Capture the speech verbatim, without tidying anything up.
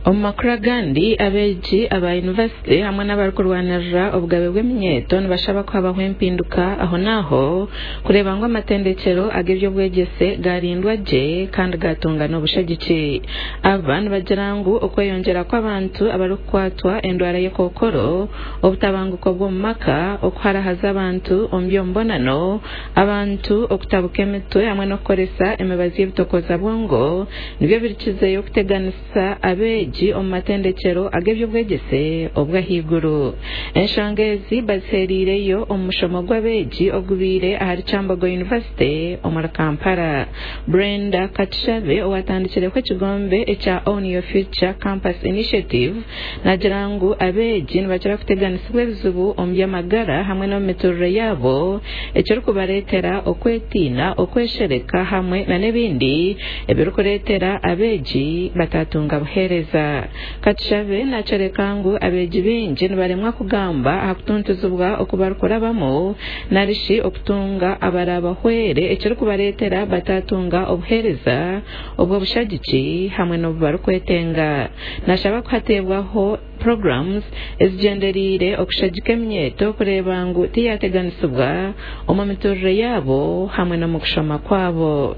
Omu makuru agandi, abeegi aba yunivasite hamwe n'abarikurwanirira obugabe bw'eminyeeto nibashaba kuhabaho empinduka aho n'aho kureeba ngu amatendekyero ag'ebyobwegyese garindwa gye kandi gatunga n'obushagiki. Aba nibagira ngu okweyongyera kw'abantu abarikukwatwa endwara y'ekokoro, obutabanguko bw'omu maka, okuharahaza abantu omu by'omubonano, abantu okutabuka emitwe hamwe n'okukoresa emibazi y'ebitokoza bwongo nibyo birikizeyo kuteganisa abeegi omu matendekyero ag'ebyobwegyese obw'ahaiguru. Enshonga ezi bazihereireyo omu mushomo gw'abeegi ogubaire ahari Kyambogo University omuri Kampala. Brenda Katushabe owatandikireho ekigombe ekya Own Your Future Campus Initiative nagira ngu abeegi nibakira kuteganisibwa ebizibu omu by'amagara hamwe n'omu miturire yaabo, ekirikubareetera okwetiina, okweshereka hamwe n'ebindi ebirikureetera abeegi batatunga buheereza. Katushabe nakyoreka ngu abeegi baingi nibaremwa kugamba aha kutuntuzibwa oku barikurabamu narishi okutunga abarabahwere, ekirikubareetera batatunga obuheereza obw'obushagiki hamwe n'obu barikwetenga. Nashaba kuhateebwaho programs ezigyendereire okushagika eminyeeto kureeba ngu tiyateganisibwa omu miturire yaabo hamwe n'omu kushoma kwabo.